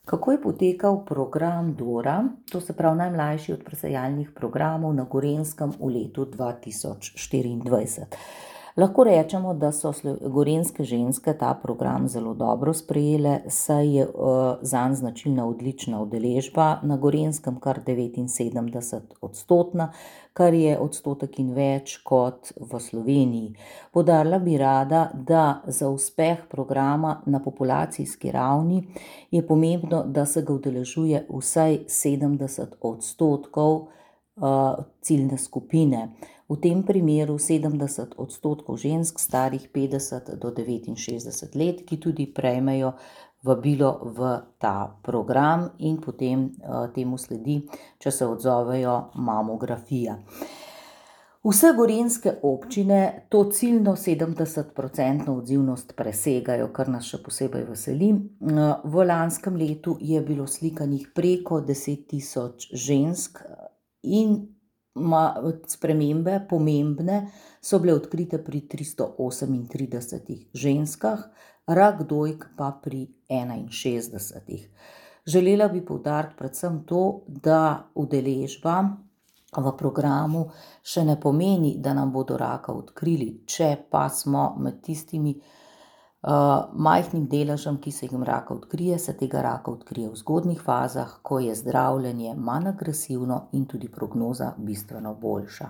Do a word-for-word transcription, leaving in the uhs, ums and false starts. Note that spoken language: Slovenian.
Kako je potekal program Dora, to se pravi najmlajši od presejalnih programov na Gorenjskem v letu dva tisoč štiriindvajset? Lahko rečemo, da so gorenjske ženske ta program zelo dobro sprejele, saj je zanj značilna odlična udeležba, na Gorenjskem kar devetinsedemdeset odstotna, kar je odstotek in več kot v Sloveniji. Poudarila bi rada, da za uspeh programa na populacijski ravni je pomembno, da se ga udeležuje vsaj sedemdeset odstotkov ciljne skupine. V tem primeru sedemdeset odstotkov žensk, starih petdeset do devetinšestdeset let, ki tudi prejmejo vabilo v ta program in potem temu sledi, če se odzovejo, mamografija. Vse gorenjske občine to ciljno sedemdesetprocentno odzivnost presegajo, kar nas še posebej veseli. V lanskem letu je bilo slikanih preko deset tisoč žensk in spremembe, pomembne, so bile odkrite pri tristo osemintridesetih ženskah, rak dojk pa pri enainšestdesetih. Želela bi poudariti predvsem to, da udeležba v programu še ne pomeni, da nam bodo raka odkrili, če pa smo med tistimi majhnim deležem, ki se jim raka odkrije, se tega raka odkrije v zgodnjih fazah, ko je zdravljenje manj agresivno in tudi prognoza bistveno boljša.